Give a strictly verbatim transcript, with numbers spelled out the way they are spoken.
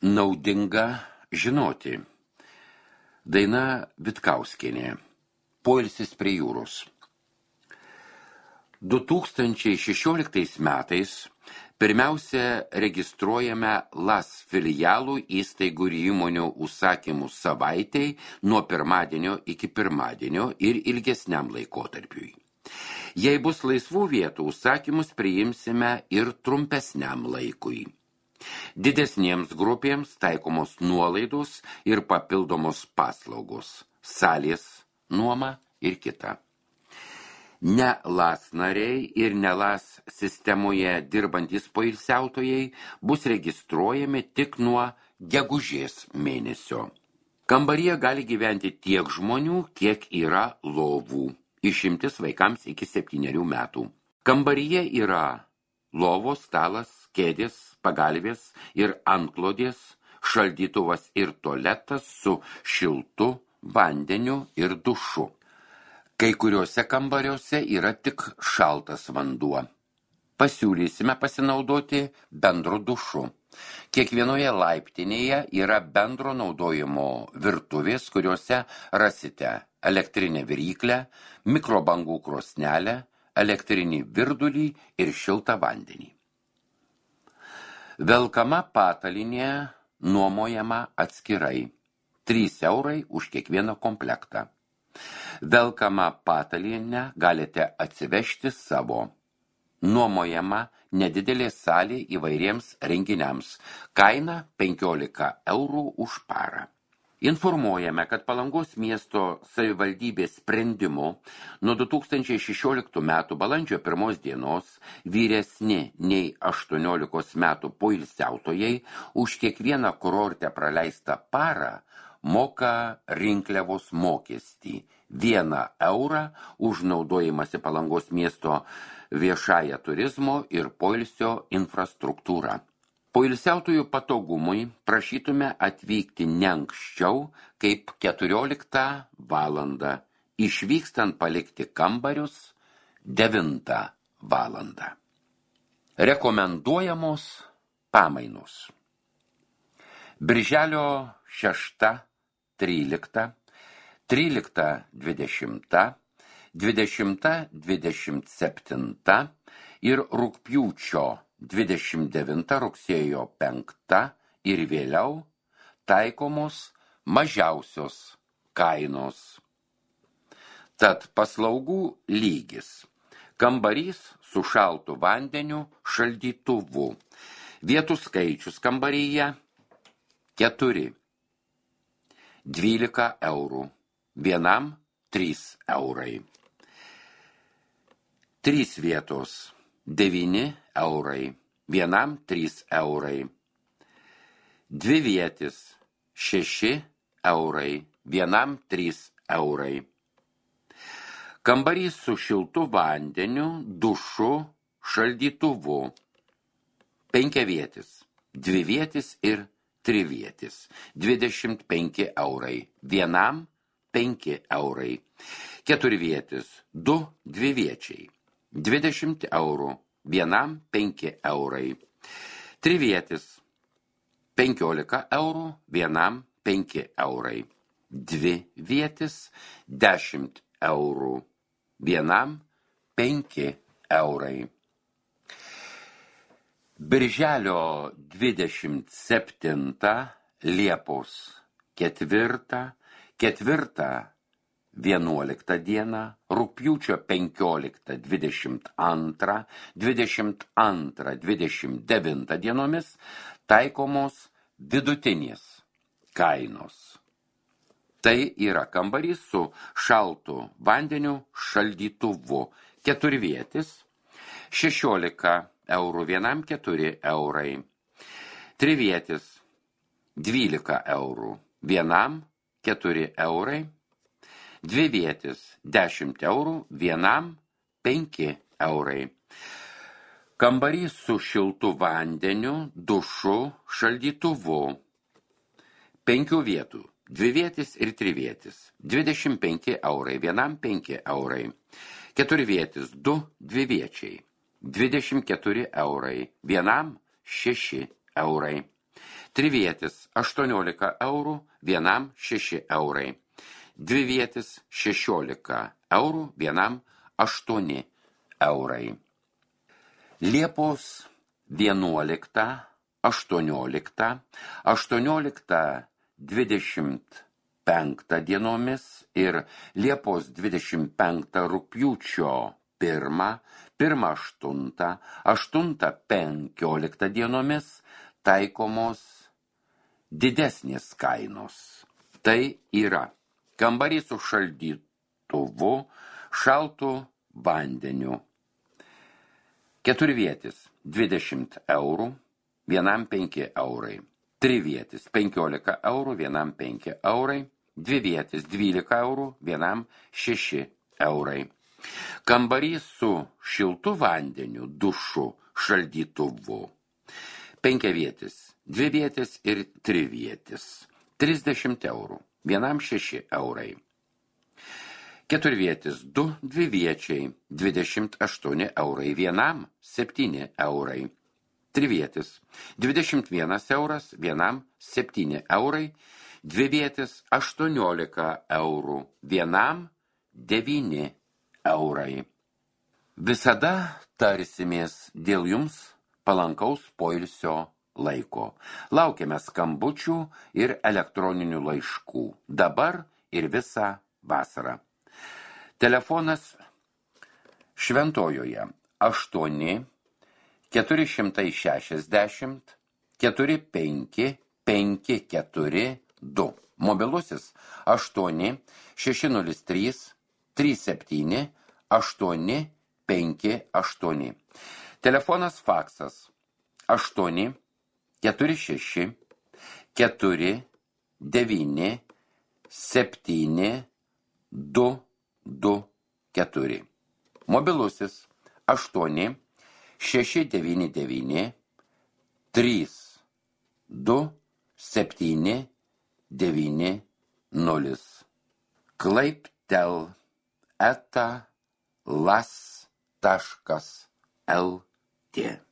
Naudinga žinoti. Daina Vitkauskienė. Poilsis prie jūros. du tūkstančiai šešioliktais metais pirmiausia registruojame LAS filialų įstaigų ir įmonių užsakymų savaitei nuo pirmadienio iki pirmadienio ir ilgesniam laikotarpiui. Jei bus laisvų vietų, užsakymus priimsime ir trumpesniam laikui. Didesniems grupėms taikomos nuolaidos ir papildomos paslaugos, salės, nuoma ir kita. Ne LAS nariai ir ne LAS sistemoje dirbantys poilsiautojai bus registruojami tik nuo gegužės mėnesio. Kambaryje gali gyventi tiek žmonių, kiek yra lovų, išimtis vaikams iki septynerių metų. Kambaryje yra lovos, stalas, kėdės, pagalvės ir antklodės, šaldytuvas ir tualetas su šiltu vandeniu ir dušu. Kai kuriuose kambariuose yra tik šaltas vanduo. Pasiūlysime pasinaudoti bendru dušu. Kiekvienoje laiptinėje yra bendro naudojimo virtuvės, kuriuose rasite elektrinę viryklę, mikrobangų krosnelę, elektrinį virdulį ir šiltą vandenį. Velkama patalinė nuomojama atskirai. trys eurai už kiekvieną komplektą. Velkamą patalynę galite atsivežti savo. Nuomojama nedidelė salė įvairiems renginiams. Kaina penkiolika eurų už parą. Informuojame, kad Palangos miesto savivaldybės sprendimu nuo du tūkstančiai šešioliktų metų balandžio pirmos dienos vyresni nei aštuoniolikos metų poilsiautojai už kiekvieną kurorte praleistą parą moka rinkliavos mokestį vieną eurą už naudojimąsi Palangos miesto viešąją turizmo ir poilsio infrastruktūrą. Poilsiautojų patogumui prašytume atvykti ne anksčiau kaip keturioliktą valandą, išvykstant palikti kambarius devintą valandą. Rekomenduojamos pamainos. Birželio šešta, trylikta, trylikta dvidešimta, dvidešimta dvidešimt septinta ir rugpjūčio dvidešimt devinta, rugsėjo penkta ir vėliau taikomos mažiausios kainos. Tad paslaugų lygis. Kambarys su šaltu vandeniu, šaldytuvu. Vietų skaičius kambaryje keturi. dvylika eurų. Vienam trys eurai. Trys vietos. devyni eurai. Vienam trys eurai. Dvi vietis. šeši eurai. Vienam trys eurai. Kambarys su šiltu vandeniu, dušu, šaldytuvu. Penkiavietis. Dvi vietis ir trivietis. dvidešimt penki eurai. Vienam penki eurai. Keturvietis. Du dviviečiai. dvidešimt eurų. Vienam penki eurai. Trivietis. penkiolika eurų. Vienam penki eurai. Dvi vietis. dešimt eurų. Vienam penki eurai. Birželio dvidešimt septintą, Liepos ketvirtą, ketvirtą vienuoliktą dieną, rugpjūčio penkioliktą dvidešimt antrą, dvidešimt antrą dvidešimt devintą dienomis taikomos vidutinės kainos. Tai yra kambarys su šaltu vandeniu, šaldytuvu, keturvietis, šešiolika eurų, vienam keturi eurai. Trivietis, dvylika eurų, vienam keturi eurai. Dvivietis, dešimt eurų, vienam penki eurai. Kambarys su šiltu vandeniu, dušu, šaldytuvu. Penkių vietų. Dvivietis ir trivietis. dvidešimt penki eurai, vienam penki eurai. Keturvietis, du dviviečiai. dvidešimt keturi eurai, vienam šeši eurai. Trivietis aštuoniolika eurų, vienam šeši eurai. Dvivietis šešiolika eurų, vienam aštuoni eurai. Liepos vienuolikta, aštuoniolikta, aštuoniolikta dvidešimt penktą dienomis ir Liepos dvidešimt penktą rugpjūčio pirmą, pirmą aštuntą, aštuntą penkioliktą dienomis taikomos didesnės kainos. Tai yra kambarys su šaldytuvu, šaltu vandeniu. Keturvietis dvidešimt eurų, vienam penki eurai. Trivietis penkiolika eurų, vienam penki eurai. Dvivietis dvylika eurų, vienam šeši eurai. Kambarys su šiltu vandeniu, dušu, šaldytuvu. Penkiavietis, dvivietis ir trivietis. trisdešimt eurų, vienam šeši eurai. Keturvietis du dviviečiai, dvidešimt aštuoni eurai, vienam septyni eurai. Trivietis dvidešimt vienas euras, vienam septyni eurai. Dvivietis aštuoniolika eurų, vienam devyni eurai. Visada tarsimės dėl jums palankaus poilsio laiko. Laukiame skambučių ir elektroninių laiškų. Dabar ir visą vasarą. Telefonas Šventojoje aštuoni keturi šimtai šešiasdešimt keturi penki penki keturi du. Mobilusis aštuoni šeši nulis trys trys septyni aštuoni penki aštuoni. Telefonas faksas aštuoni keturi šeši keturi devyni septyni du du keturi. Mobilusis aštuoni šeši devyni devyni trys du septyni devyni nulis. Klaiptel eta las taškas lt.